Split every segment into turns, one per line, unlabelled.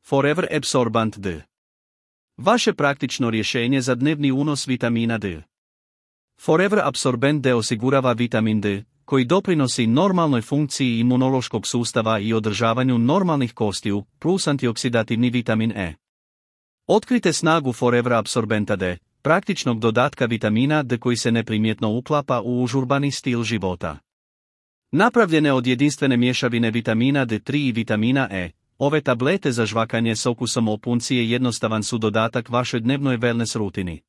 Forever Absorbent D. Vaše praktično rješenje za dnevni unos vitamina D. Forever Absorbent D osigurava vitamin D, koji doprinosi normalnoj funkciji imunološkog sustava i održavanju normalnih kostiju, plus antioksidativni vitamin E. Otkrite snagu Forever Absorbenta D, praktičnog dodatka vitamina D koji se neprimjetno uklapa u užurbani stil života. Napravljene od jedinstvene mješavine vitamina D3 i vitamina E, ove tablete za žvakanje s okusom opuncije jednostavan su dodatak vašoj dnevnoj wellness rutini.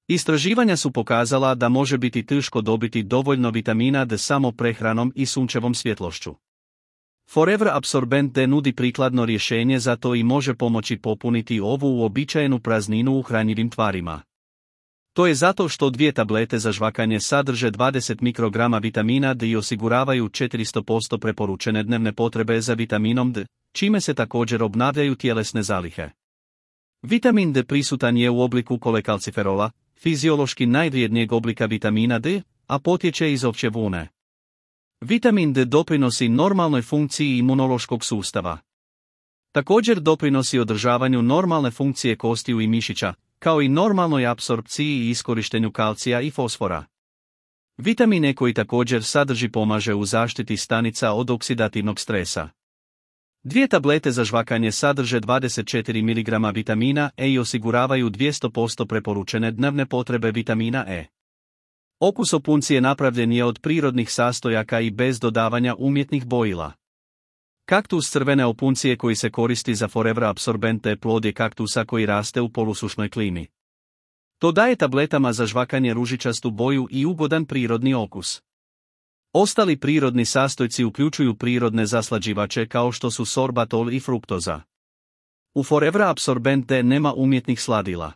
Istraživanja su pokazala da može biti teško dobiti dovoljno vitamina D samo prehranom i sunčevom svjetlošću. Forever Absorbent D nudi prikladno rješenje za to i može pomoći popuniti ovu uobičajenu prazninu u hranjivim tvarima. To je zato što 2 tablete za žvakanje sadrže 20 mikrograma vitamina D i osiguravaju 400% preporučene dnevne potrebe za vitaminom D, čime se također obnavljaju tjelesne zalihe. Vitamin D prisutan je u obliku kolekalciferola, fiziološki najvrijednijeg oblika vitamina D, a potječe iz ovčje vune. Vitamin D doprinosi normalnoj funkciji imunološkog sustava. Također doprinosi održavanju normalne funkcije kostiju i mišića, kao i normalnoj apsorpciji i iskorištenju kalcija i fosfora. Vitamin E koji također sadrži pomaže u zaštiti stanica od oksidativnog stresa. 2 tablete za žvakanje sadrže 24 mg vitamina E i osiguravaju 200% preporučene dnevne potrebe vitamina E. Okus opuncije napravljen je od prirodnih sastojaka i bez dodavanja umjetnih bojila. Kaktus crvene opuncije koji se koristi za Forever Absorbent D plod je kaktusa koji raste u polusušnoj klimi. To daje tabletama za žvakanje ružičastu boju i ugodan prirodni okus. Ostali prirodni sastojci uključuju prirodne zaslađivače kao što su sorbatol i fruktoza. U Forever Absorbent D nema umjetnih sladila.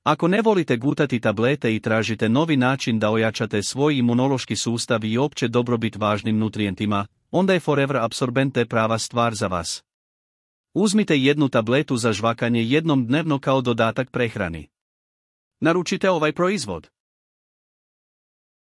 Ako ne volite gutati tablete i tražite novi način da ojačate svoj imunološki sustav i opće dobrobit važnim nutrijentima, onda je Forever Absorbent D prava stvar za vas. Uzmite 1 tabletu za žvakanje jednom dnevno kao dodatak prehrani. Naručite ovaj proizvod.